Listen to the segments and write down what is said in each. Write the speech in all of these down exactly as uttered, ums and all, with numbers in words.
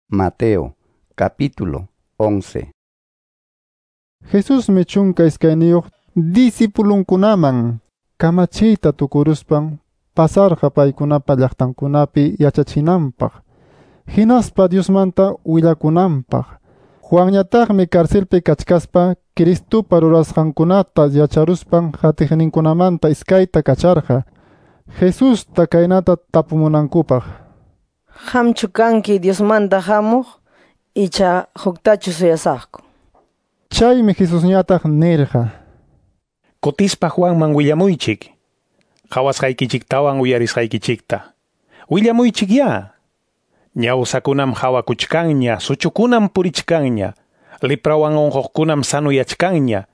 Mateo, capítulo once. Jesusmi chunka iskayniyuq disipulunkunaman kamachiyta tukuruspan pasarqa paykunapa llaqtankunapi yachachinanpaq, hinaspa Diosmanta willakunanpaq. Juanñataqmi carcelpi kachkaspa Cristopa rurasqankunata yacharuspan qatiqninkunamanta iskayta kacharqa Jesusta kaynata tapumunankupaq. Qamchu kanki Diosmanta hamuq icha huktachu suyasaqku? Chaymi Jesusñataq nirqa: Kutispa Juanman willamuychik, qhawasqaykichiktawan uyarisqaykichikta. Willamuychik ya. Ñawsakunam hawakuchkanña, suchukunam purichkanña, leprawan unquqkunam sanuyachkanña,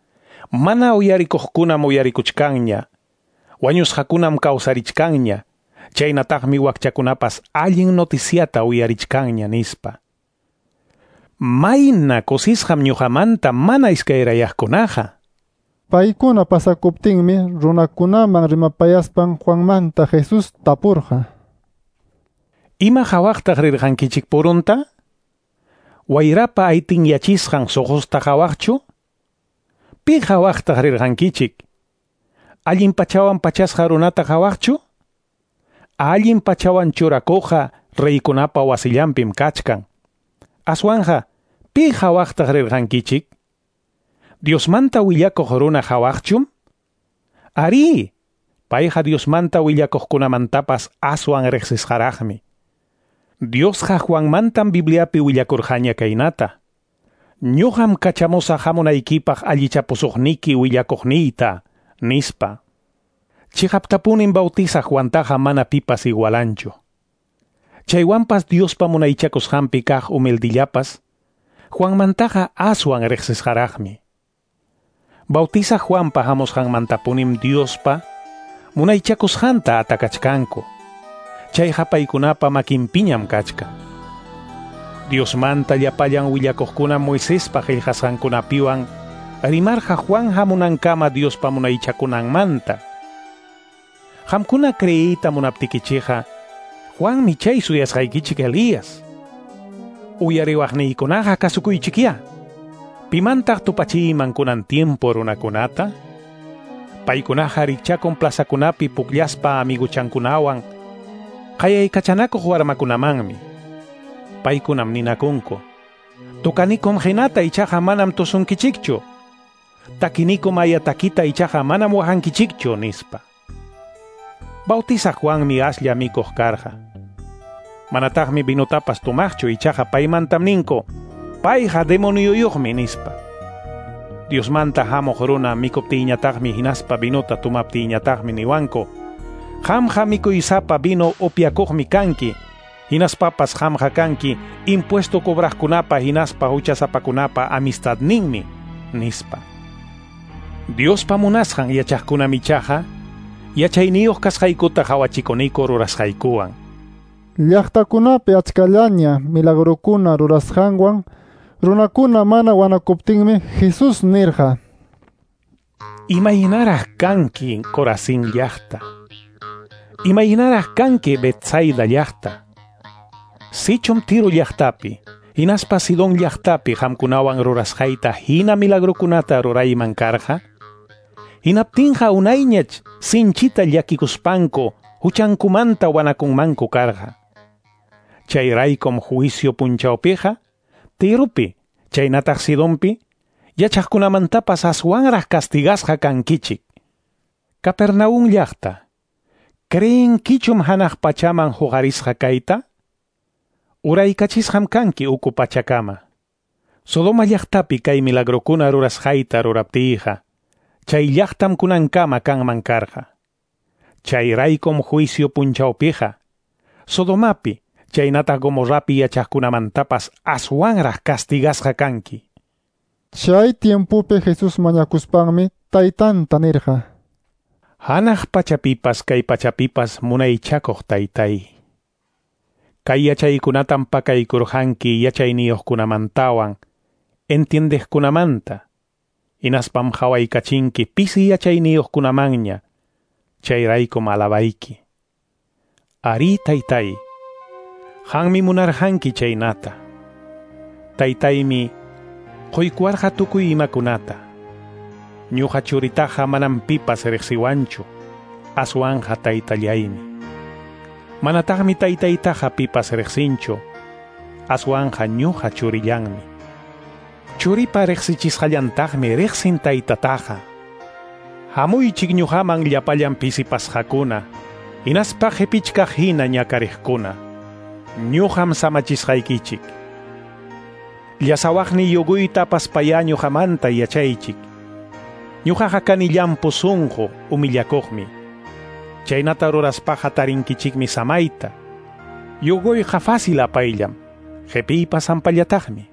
mana uyarikuqkunam uyarikuchkanña, wañusqakunam kawsarichkanña, chaynataqmi wakchakunapas allin noticiata uyarichkanña nispa. Mayna kusisqam ñuqamanta mana iskayrayaqkunaqa. Paykuna pasakuptinmi runakunaman rimapayaspan Juanmanta Jesús tapurqa: Ima hawaqtaq rirqankichik purunta? Wayrapa aytinyachisqan suqusta hawaqchu? Pi hawaqtaq rirqankichik? Allin pachawan pachasqa runata hawaqchu? Allin pachawan churakuqqa reykunapa wasillanpim kachkan. Aswanja, pi hawaqtaq rirqankichik? Diosmanta willakuq runa hawaqchum? Ari, payqa Diosmanta willakuqkunamantapas aswan riqsisqaraqmi. Diosqa Juanmantam Bibliapi willakurqaña kaynata: Ñuqam kachamusaq hamunaykipaq allichapusuqniki willakuqniyta, nispa. Chiqaptapunim bautizaq Juantaqa mana pipas igualanchu. Chaywanpas Diospa munaychakusqanpi kaq humildillapas, Juanmantaqa aswan riqsisqaraqmi. Bautizaq Juanpa hamusqanmantapunim Diospa munaychakusqanta atakachkanku. Chayqa paykunapa makinpiñam kachkan. Diosmanta llapallan willakuqkuna Moisespa qillqasqankunapiwan rimarqa Juan hamunankama Diospa munaychakunanmanta. Qamkuna creeyta munaptikichikqa, Juanmi chay suyasqaykichik Elías. Uyariwaqniykunaqa kasukuychikyá. Pimantaq tupachiyman kunan tiempo runakunata? Paykunaqa rikchakun plazakunapi pukllaspa amiguchankunawan qayaykachanakuq warmakunamanmi. Paykunam ninakunku: Tukanikum hinata ichaqa manam tusunkichikchu. Takinikum aya takita ichaqa manam waqankichikchu, nispa. Bautizaq Juanmi aslla mikuq karqa. Manataqmi vinutapas tumaqchu, ichaqa paymantam ninku: Payqa demonioyuqmi, nispa. Diosmanta hamuq runa mikuptiyñataqmi hinaspa vinuta tumaptiyñataqmi niwanku: Qamqa mikuysapa vino upyakuqmi kanki, hinaspapas qamqa kanki impuesto cobraqkunapa hinaspa huchasapakunapa amistadninmi, nispa. Diospa munasqan yachaqkunam ichaqa yachayniyuq kasqaykuta qhawachikuniku rurasqaykuwan. Llaqtakunapi achkallaña milagrokuna rurasqanwan runakuna mana wanakuptinmi Jesús nirqa: Imaynaraq kanki Corazín llaqta? Imaynaraq kanki Betsaida llaqta? Sichum Tiro llaqtapi, hinaspa Sidón llaqtapi qamkunawan rurasqayta hina milagrokunata rurayman karqa, hinaptinqa unayñach sinchita llakikuspanku huchankumanta wanakunmanku karqa. Chayraykum juicio punchawpiqa Tiropi, chaynataq Sidonpi, yachaqkunamantapas aswanraq castigasqa kankichik. Capernaum llaqta, ¿creenkichum hanaq pachaman huqarisqa kayta? Uraykachisqam kanki uku pachakama. Sodoma llaqtapi kay milagrokuna rurasqayta ruraptiyqa, chay llaqtam kunankama kanman karqa. Chayraykum juicio punchawpiqa Sodomapi, chaynataq Gomorrapi yachaqkunamantapas aswanraq castigasqa kanki. Chay tiempopi Jesús mañakuspanmi taytanta nirqa: Hanaq pachapipas kay pachapipas munaychakuq taytay, kay yachaykunatam pakaykurqanki yachayniyuqkunamantawan entiendeqkunamanta, hinaspam hawaykachinki pisi yachayniyuqkunamanña, chayraykum alabayki. Ari taytay, qanmi munarqanki chaynata. Taytaymi quykuwarqa tukuy imakunata. Ñuqa churitaqa manam pipas riqsiwanchu, aswanqa taytallaymi. Manataqmi taytaytaqa pipas riqsinchu, aswanqa ñuqa churillanmi. Churipa riqsichisqallantaqmi riqsin taytataqa. Hamuychik ñuqaman llapallan pisipasqakuna, hinaspa qipichkaq hina ñakariqkuna. Ñuqam samachisqaykichik. Llasawaqni yuguyta apaspayá ñuqamanta yachaychik. Ñuqaqa kani llampu sunqu humillakuqmi. Chaynata ruraspaqa tarinkichikmi samayta. Yuguyqa fácil apayllam, qipiypas hampallataqmi.